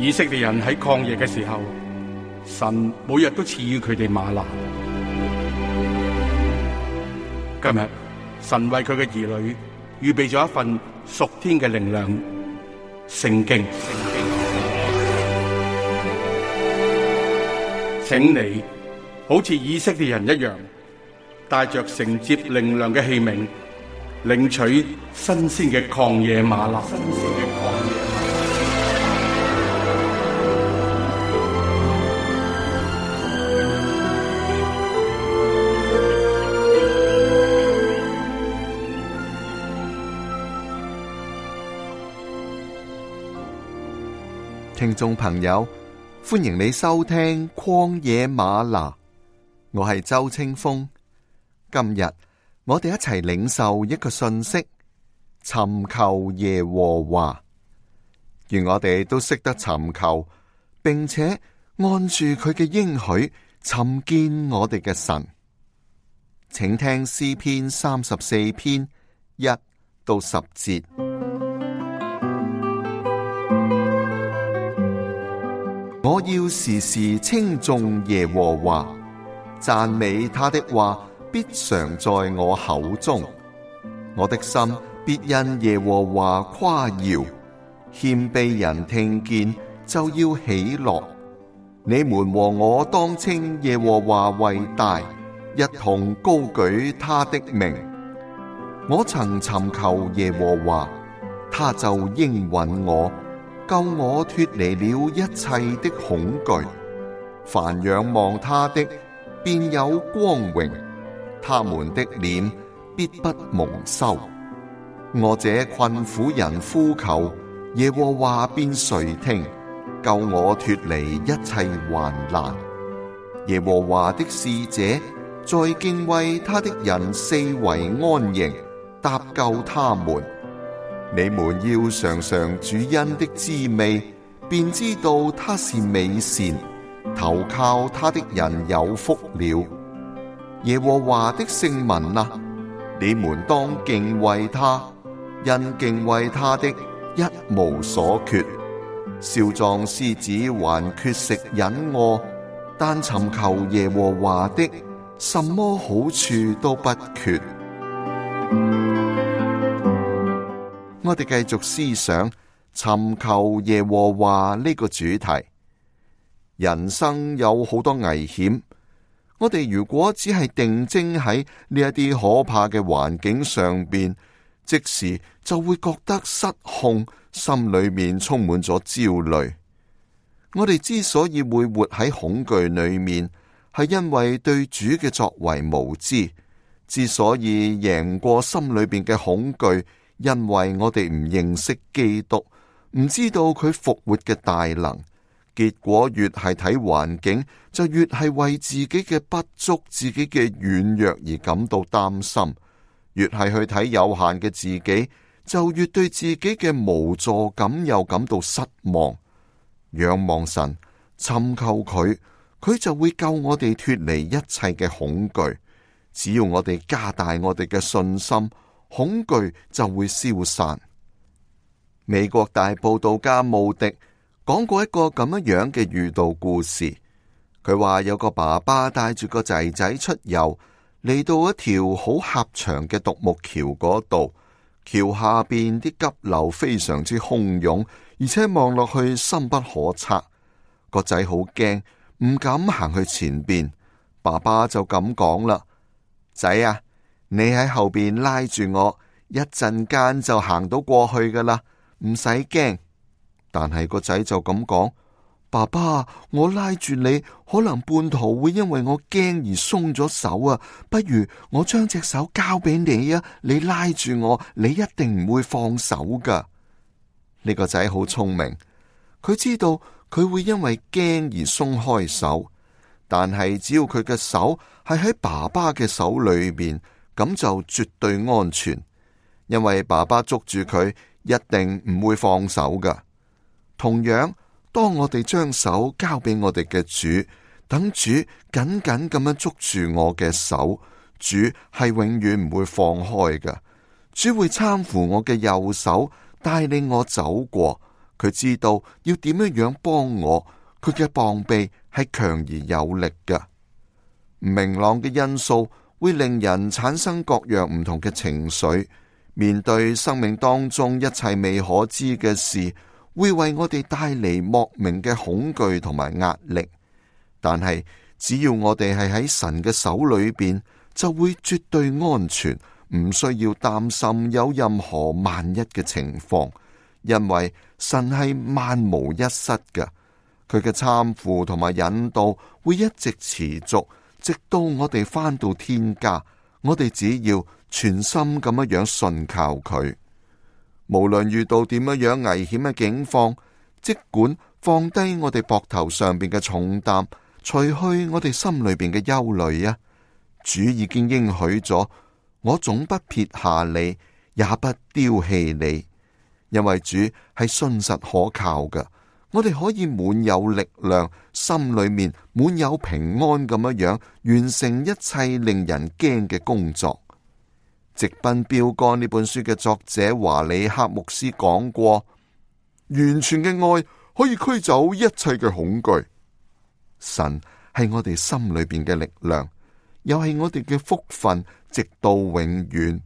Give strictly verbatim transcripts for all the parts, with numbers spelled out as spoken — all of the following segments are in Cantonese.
以色列人喺曠野嘅時候，神每日都賜予佢哋嗎哪。今日神為佢嘅兒女預備咗一份屬天嘅靈糧——聖經。請你好似以色列人一樣，帶着承接靈糧嘅器皿，領取新鮮嘅曠野嗎哪。聽眾朋友，歡迎你收聽曠野嗎哪，我係周清風。今日我哋一齊領受一個訊息：尋求耶和華。願我哋都識得尋求，並且按住佢嘅應許尋見我哋嘅神。請聽詩篇三十四篇一到十節。我要時時稱頌耶和華，讚美他的話必常在我口中。我的心必因耶和華誇耀，謙卑人聽見就要喜樂。你們和我當稱耶和華為大，一同高舉他的名。我曾尋求耶和華，他就應允我，救我脫離了一切的恐懼。凡仰望他的，便有光榮，他們的臉必不蒙羞。我這困苦人呼求，耶和華便垂聽，救我脫離一切患難。耶和華的使者在敬畏他的人四圍安營，搭救他們。你們要嘗嘗主恩的滋味，便知道他是美善，投靠他的人有福了。耶和華的聖民啊，你們當敬畏他，因敬畏他的一無所缺。少壯獅子還缺食忍餓，但尋求耶和華的，什麼好處都不缺。我哋繼續思想尋求耶和華呢個主題。人生有好多危險，我哋如果只係定睛喺呢一啲可怕嘅環境上邊，即時就會覺得失控，心裏面充滿咗焦慮。我哋之所以會活喺恐懼裏面，係因為對主嘅作為無知。之所以贏過心裏邊嘅恐懼，因為我哋唔認識基督，唔知道佢復活嘅大能，結果越係睇環境，就越係為自己嘅不足、自己嘅軟弱而感到擔心；越係去睇有限嘅自己，就越對自己嘅無助感又感到失望。仰望神，尋求佢，佢就會救我哋脫離一切嘅恐懼。只要我哋加大我哋嘅信心，恐懼就會消散。美國大佈道家慕迪講過一個咁樣樣嘅寓道故事。佢話有個爸爸帶住個仔仔出遊，嚟到一條好狹長嘅獨木橋嗰度，橋下邊啲急流非常之洶湧，而且望落去深不可測。個仔好驚，唔敢行去前邊。爸爸就咁講啦：仔啊，你喺後邊拉住我，一陣間就行到過去噶啦，唔使驚。但係個仔就咁講：爸爸，我拉住你，可能半途會因為我驚而鬆咗手啊，不如我將隻手交俾你啊，你拉住我，你一定唔會放手噶。呢個仔好聰明，佢知道佢會因為驚而鬆開手，但係只要佢嘅手係喺爸爸嘅手裏邊，咁就絕對安全，因為爸爸捉住佢一定唔會放手噶。同樣，當我哋將手交俾我哋嘅主，等主緊緊咁樣捉住我嘅手，主係永遠唔會放開噶。主會攙扶我嘅右手，帶領我走過，佢知道要點樣樣幫我，佢嘅膀臂係強而有力嘅。唔明朗嘅因素會令人產生各樣唔同嘅情緒，面對生命當中一切未可知嘅事，會為我哋帶嚟莫名嘅恐懼同埋壓力。但係只要我哋係喺神嘅手裏邊，就會絕對安全，唔需要擔心有任何萬一嘅情況，因為神係萬無一失嘅。佢嘅攙扶同埋引導會一直持續，直到我哋返到天家。我哋只要全心咁樣樣信靠佢，無論遇到點樣樣危險嘅境況，即管放低我哋膊頭上邊嘅重擔，除去我哋心裏邊嘅憂慮啊！主已經應許咗，我總不撇下你，也不丟棄你，因為主係信實可靠嘅。我哋可以滿有力量，心裏面滿有平安咁樣樣，完成一切令人驚嘅工作。直奔標杆呢本書嘅作者華里克牧師講過，完全嘅愛可以驅走一切嘅恐懼。神係我哋心裏邊嘅力量，又係我哋嘅福分，直到永遠。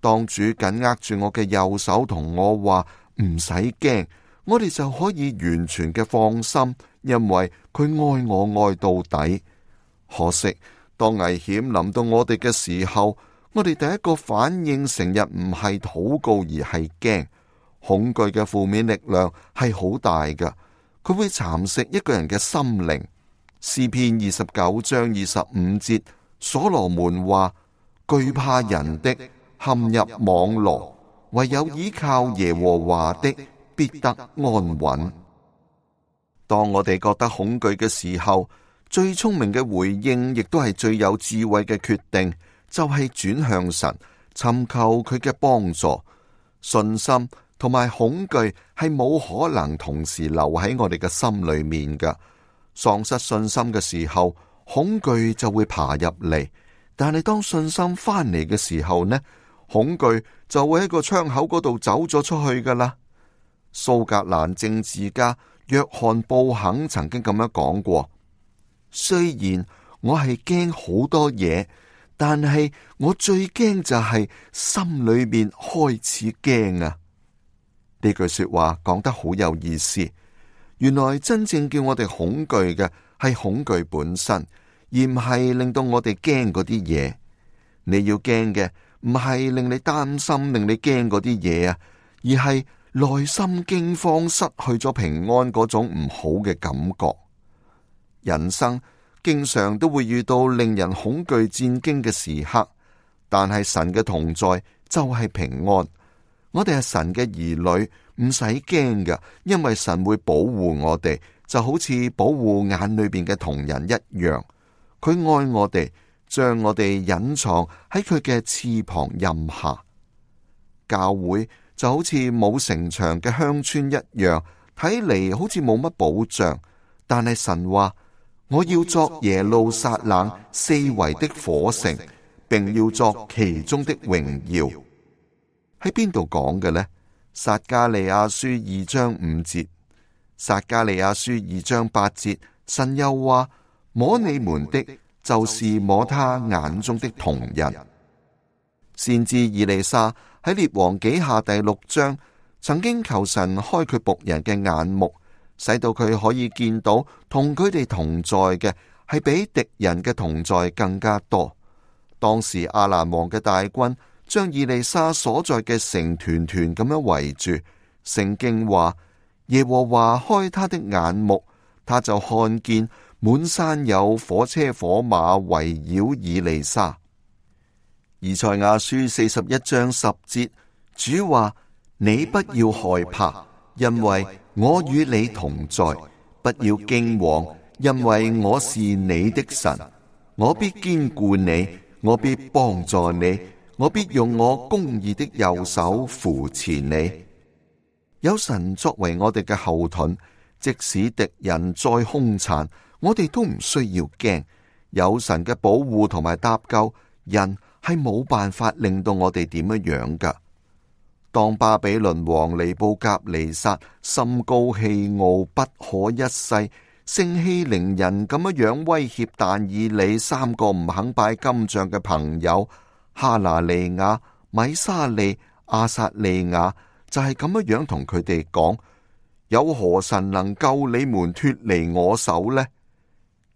當主緊握住我嘅右手，同我話唔使驚，我哋就可以完全嘅放心，因為佢愛我愛到底。可惜當危險臨到我哋嘅時候，我哋第一個反應成日唔係禱告，而係驚。恐懼嘅負面力量係好大㗎，佢會蠶食一個人嘅心靈。詩篇二十九章二十五節，所羅門話：懼怕人的陷入網羅，唯有依靠耶和華的必得安穩。當我哋覺得恐懼嘅時候，最聰明嘅回應，亦都係最有智慧嘅決定，就係轉向神，尋求佢嘅幫助。信心同埋恐懼係冇可能同時留喺我哋嘅心裏面㗎。喪失信心嘅時候，恐懼就會爬入嚟；但係當信心翻嚟嘅時候呢，恐懼就會喺個窗口嗰度走咗出去噶啦。蘇格蘭政治家約翰布肯曾經咁樣講過：雖然我係驚好多嘢，但係我最驚就係心裏面開始驚啊！呢句說話講得好有意思。原來真正叫我哋恐懼嘅係恐懼本身，而唔係令到我哋驚嗰啲嘢。你要驚嘅唔係令你擔心、令你驚嗰啲嘢啊，而係內心驚慌、失去咗平安嗰種唔好嘅感覺。人生經常都會遇到令人恐懼戰驚嘅時刻，但係神嘅同在就係平安。我哋係神嘅兒女，唔使驚㗎，因為神會保護我哋，就好似保護眼裏邊嘅瞳人一樣。佢愛我哋，將我哋隱藏喺佢嘅翅膀蔭下。教會就好似冇城牆嘅鄉村一樣，睇嚟好似冇乜保障，但係神話，我要作耶路撒冷四圍的火城，並要作其中的榮耀。喺邊度講嘅呢？撒迦利亞書二章五節，撒迦利亞書二章八節，神又話：摸你們的，就是摸他眼中的瞳人。先知以利沙喺列王紀下第六章，曾經求神開佢僕人嘅眼目，使到佢可以見到同佢哋同在嘅係比敵人嘅同在更加多。當時亞蘭王嘅大軍將以利沙所在嘅城團團咁樣圍住，聖經話耶和華開他的眼目，他就看見滿山有火車火馬圍繞以利沙。以賽亞書四十一章十節，主話：你不要害怕，因為我與你同在；不要驚惶，因為我是你的神，我必堅固你，我必幫助你。我必用我公義的右手扶持你。有神作為我哋嘅後盾，即使敵人再兇殘，我哋都唔需要驚。有神嘅保護同埋搭救，人係冇辦法令到我哋點樣樣噶。當巴比倫王尼布甲尼撒心高氣傲，不可一世，盛氣凌人咁樣樣威脅但以理三個唔肯拜金像嘅朋友哈拿利亞、米沙利、亞撒利亞，就係咁樣樣同佢哋講：有何神能救你們脫離我手呢？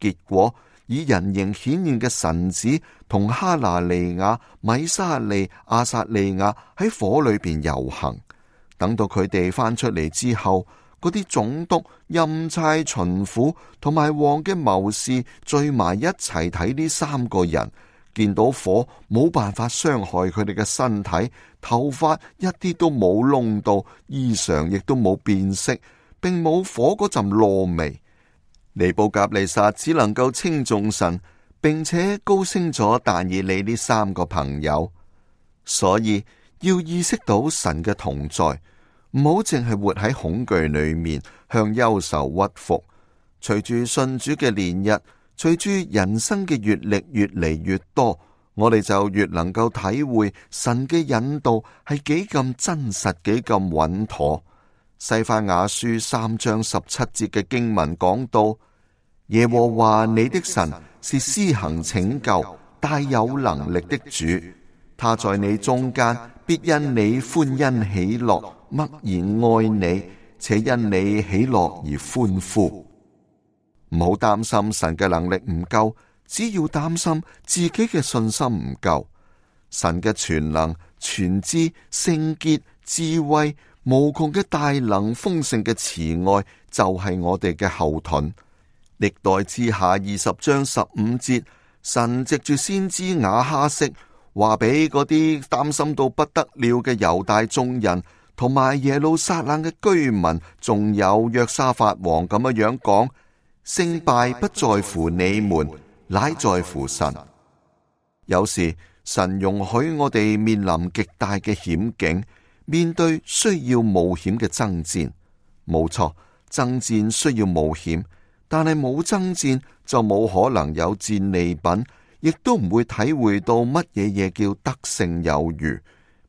結果以人形顯現嘅神子同哈拿利亞、米沙利、亞撒利亞喺火裏邊遊行。等到佢哋翻出嚟之後，嗰啲總督、欽差、巡撫同埋王嘅謀士聚埋一齊睇呢三個人，見到火冇辦法傷害佢哋嘅身體，頭髮一啲都冇燶到，衣裳亦都冇變色，並冇火嗰陣燶味。尼布甲尼撒只能夠稱頌神，並且高升咗但以理呢三個朋友。所以要意識到神嘅同在，唔好淨係活喺恐懼裏面，向憂愁屈服。隨住信主嘅年日，隨住人生嘅閱歷越嚟越多，我哋就越能夠體會神嘅引導係幾咁真實，幾咁穩妥。西番雅書三章十七節嘅經文講到：耶和華你的神是施行拯救、大有能力的主，他在你中間必因你歡欣喜樂，默然愛你，且因你喜樂而歡呼。唔好擔心神嘅能力唔夠，只要擔心自己嘅信心唔夠。神嘅全能、全知、聖潔、智慧、無窮嘅大能、豐盛嘅慈愛，就係我哋嘅後盾。歷代志下二十章十五節，神藉住先知亞哈悉話俾嗰啲擔心到不得了嘅猶大眾人，同埋耶路撒冷嘅居民，仲有約沙法王咁樣樣講：勝敗不在乎你們，乃在乎神。有時神容許我哋面臨極大嘅險境，面對需要冒險嘅爭戰。冇錯，爭戰需要冒險，但係冇爭戰就冇可能有戰利品，亦都唔會體會到乜嘢嘢叫得勝有餘。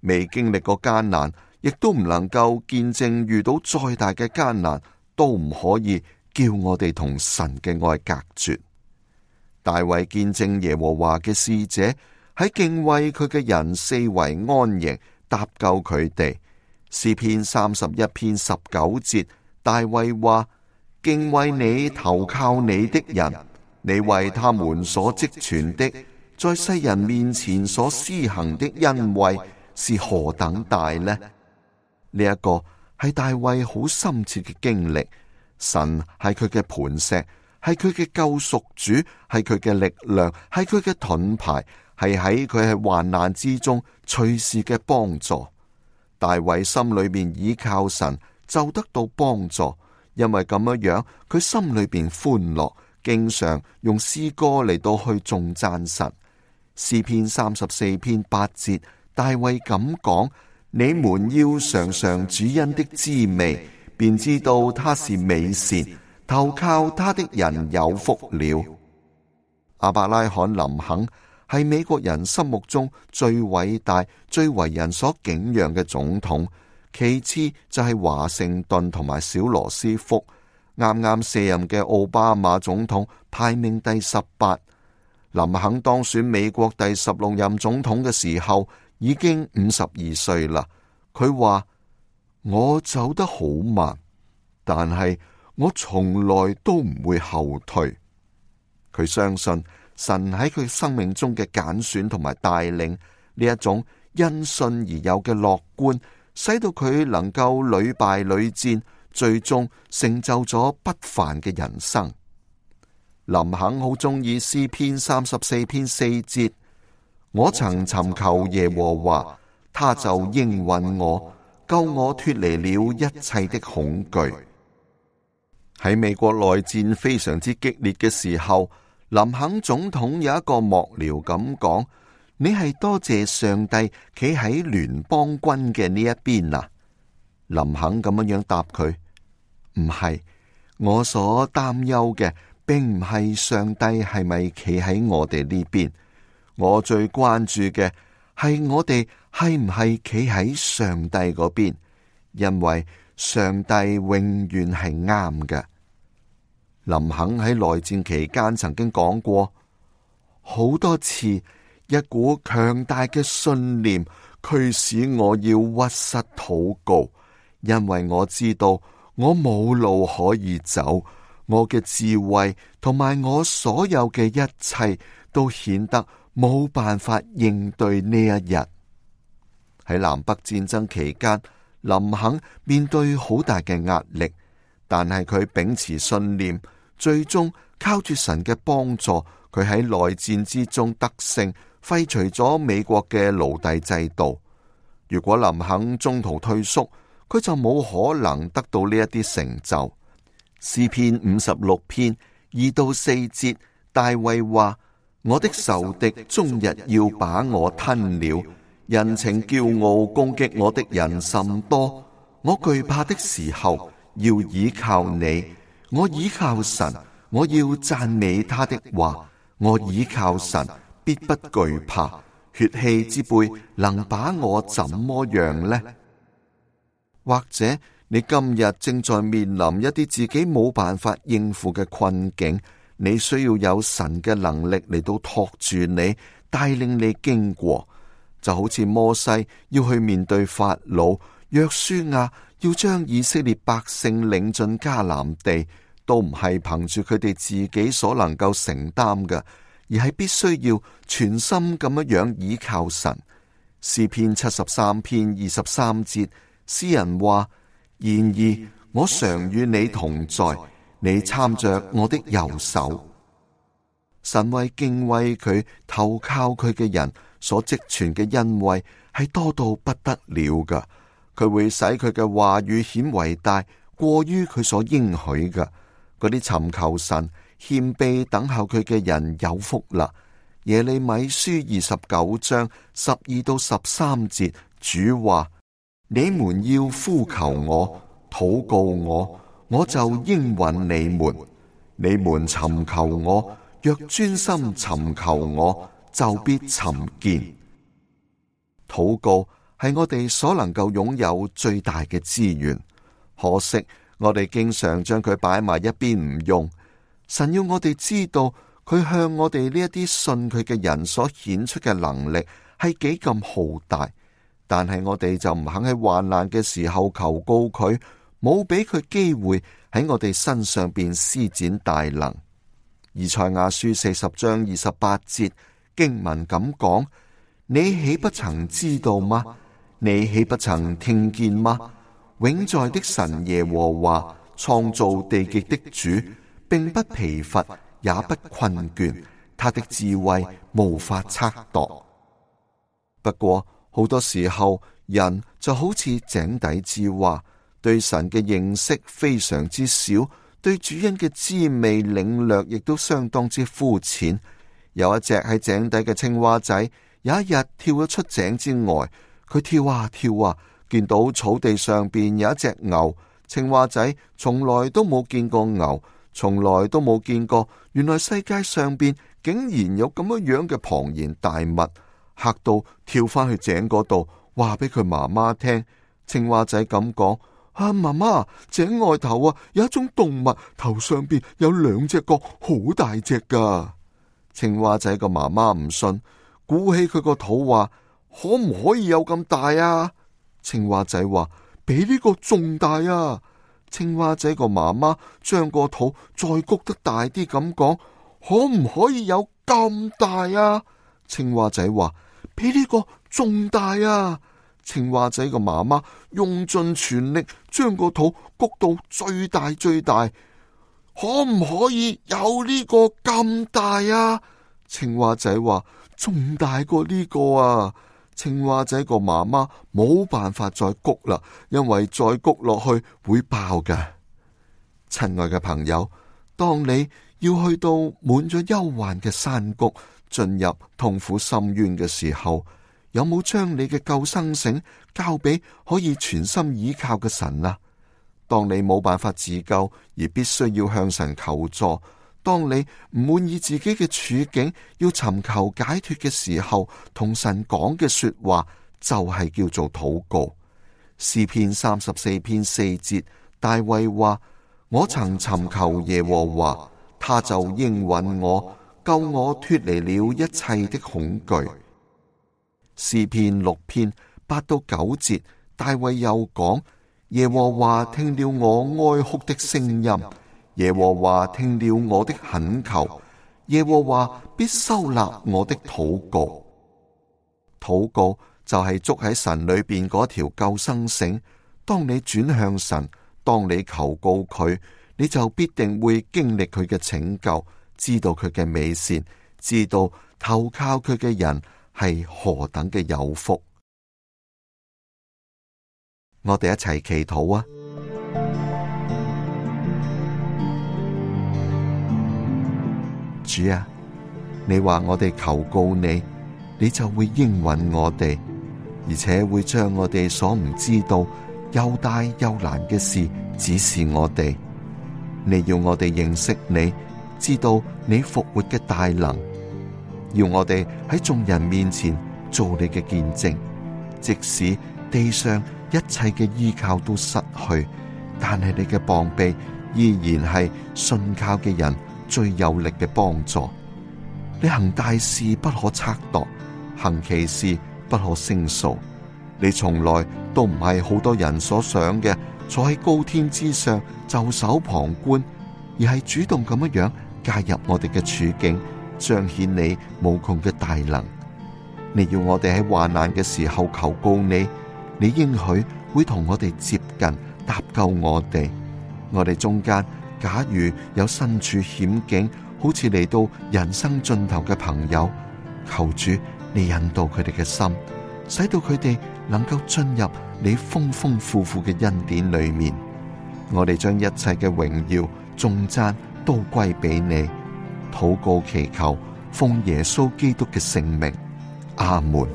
未經歷過艱難，亦都唔能夠見證遇到再大嘅艱難，都唔可以叫我哋同神嘅愛隔絕。大衛見證耶和華嘅使者喺敬畏佢嘅人四圍安營，搭救佢哋。詩篇三十一篇十九節，大衛話：敬畏你、投靠你的人，你為他們所積存的，在世人面前所施行的恩惠是何等大呢？呢、這、一個係大衛好深切嘅經歷。神係佢嘅磐石，係佢嘅救贖主，係佢嘅力量，係佢嘅盾牌，係喺佢係患難之中隨時嘅幫助。大衛心裏面倚靠神，就得到幫助，因為咁樣樣，佢心裏邊歡樂，經常用詩歌嚟到去頌讚神。詩篇三十四篇八節，大衛咁講：你們要嘗嘗主恩的滋味，便知道他是美善，投靠他的人有福了。亞伯拉罕林肯係美國人心目中最偉大、最為人所敬仰嘅總統，其次就係華盛頓同埋小羅斯福。啱啱卸任嘅奧巴馬總統排名第十八。林肯當選美國第十六任總統嘅時候已經五十二歲啦。佢話：我走得好慢，但係我從來都唔會後退。佢相信神喺佢生命中嘅揀選同埋帶領，呢一種因信而有嘅樂觀，使到佢能夠屢敗屢戰，最終成就咗不凡嘅人生。林肯好中意詩篇三十四篇四節：我曾尋求耶和華，他就應允我，救我脫離了一切的恐懼。喺美國內戰非常之激烈嘅時候，林肯總統有一個幕僚咁講：你係多謝上帝企喺聯邦軍嘅呢一邊啊？林肯咁樣樣答佢：唔係，我所擔憂嘅並唔係上帝係咪企喺我哋呢邊，我最關注嘅係我哋係唔係企喺上帝嗰邊，因為上帝永遠係啱嘅。林肯喺內戰期間曾經講過好多次，一股強大嘅信念驅使我要屈膝禱告，因為我知道我冇路可以走，我嘅智慧同埋我所有嘅一切都顯得冇辦法應對呢一日。喺南北戰爭期間，林肯面對好大嘅壓力，但係佢秉持信念，最終靠住神嘅幫助，佢喺內戰之中得勝，廢除咗美國嘅奴隸制度。如果林肯中途退縮，佢就冇可能得到呢一啲成就。詩篇五十六篇二到四節，大衛話：我的仇敵終日要把我吞了，人情驕傲攻擊我的人甚多。我懼怕的時候要倚靠你，我倚靠神，我要讚美他的話。我倚靠神，必不懼怕。血氣之輩能把我怎麼樣呢？或者你今日正在面臨一啲自己冇辦法應付嘅困境，你需要有神嘅能力嚟到托住你，帶領你經過。就好似摩西要去面對法老，約書亞要將以色列百姓領進迦南地，都唔係憑住佢哋自己所能夠承擔嘅，而係必須要全心咁樣樣倚靠神。詩篇七十三篇二十三節，詩人話：然而我常與你同在，你參着我的右手。神為敬畏佢、投靠佢嘅人所積存嘅恩惠係多到不得了噶，佢會使佢嘅話語顯為大，過於佢所應許嘅。嗰啲尋求神、謙卑等候佢嘅人有福啦。耶利米書二十九章十二到十三節，主話：你們要呼求我、禱告我，我就應允你們。你們尋求我，若專心尋求我，就必尋見。禱告係我哋所能夠擁有最大嘅資源，可惜我哋經常將佢擺埋一邊唔用。神要我哋知道，佢向我哋呢一啲信佢嘅人所顯出嘅能力係幾咁浩大，但係我哋就唔肯喺患難嘅時候求告佢，冇俾佢機會喺我哋身上邊施展大能。以賽亞書四十章二十八節經文咁講：你豈不曾知道嗎？你豈不曾聽見嗎？永在的神耶和華，創造地極的主，並不疲乏，也不困倦，他的智慧無法測度。不過好多時候，人就好似井底之蛙，對神嘅認識非常之少，對主恩嘅滋味領略亦都相當之膚淺。有一隻喺井底嘅青蛙仔，有一日跳咗出井之外，佢跳啊跳啊，見到草地上邊有一隻牛。青蛙仔從來都冇見過牛，從來都冇見過，原來世界上邊竟然有咁樣樣嘅龐然大物，嚇到跳翻去井嗰度，話俾佢媽媽聽。青蛙仔咁講：啊，媽媽，井外頭啊有一種動物，頭上邊有兩隻角，好大隻噶。青蛙仔個媽媽唔信，鼓起佢個肚話：可唔可以有咁大啊？青蛙仔話：比呢個仲大啊！青蛙仔個媽媽將個肚再谷得大啲咁講：可唔可以有咁大啊？青蛙仔話：比呢個仲大啊！青蛙仔個媽媽用盡全力將個肚谷到最大最大，可唔可以有呢個咁大啊？青蛙仔話：仲大過呢個啊！青蛙仔個媽媽冇辦法再谷啦，因為再谷落去會爆㗎。親愛嘅朋友，當你要去到滿咗憂患嘅山谷，進入痛苦深淵嘅時候，有冇將你嘅救生繩交俾可以全心倚靠嘅神啊？當你冇辦法自救而必須要向神求助，當你唔滿意自己嘅處境，要尋求解脫嘅時候，同神講嘅說話就係叫做禱告。詩篇三十四篇四節，大衛話：我曾尋求耶和華，他就應允我，救我脫離了一切的恐懼。詩篇六篇八到九節，大衛又講：耶和華聽了我哀哭的聲音，耶和華聽了我的懇求，耶和華必收納我的禱告。禱告就係捉喺神裏邊嗰條救生繩。當你轉向神，當你求告佢，你就必定會經歷佢嘅拯救，知道佢嘅美善，知道投靠佢嘅人係何等嘅有福。我哋一齊祈禱啊！主啊，你話我哋求告你，你就會應允我哋，而且會將我哋所唔知道又大又難嘅事指示我哋。你要我哋認識你，知道你復活嘅大能，要我哋喺眾人面前做你嘅見證，即使地上一切嘅依靠都失去，但係你嘅膀臂依然係信靠嘅人最有力嘅幫助。你行大事不可測度，行奇事不可勝數。你從來都唔係好多人所想嘅坐喺高天之上袖手旁觀，而係主動咁樣樣介入我哋嘅處境，彰顯你無窮嘅大能。你要我哋喺患難嘅時候求告你，你應許會同我哋接近，搭救我哋。我哋中間假如有身處險境，好似嚟到人生盡頭嘅朋友，求主你引導佢哋嘅心，使到佢哋能夠進入你豐豐富富嘅恩典裏面。我哋將一切嘅榮耀頌讚都歸俾你，禱告祈求，奉耶穌基督嘅聖名，阿門。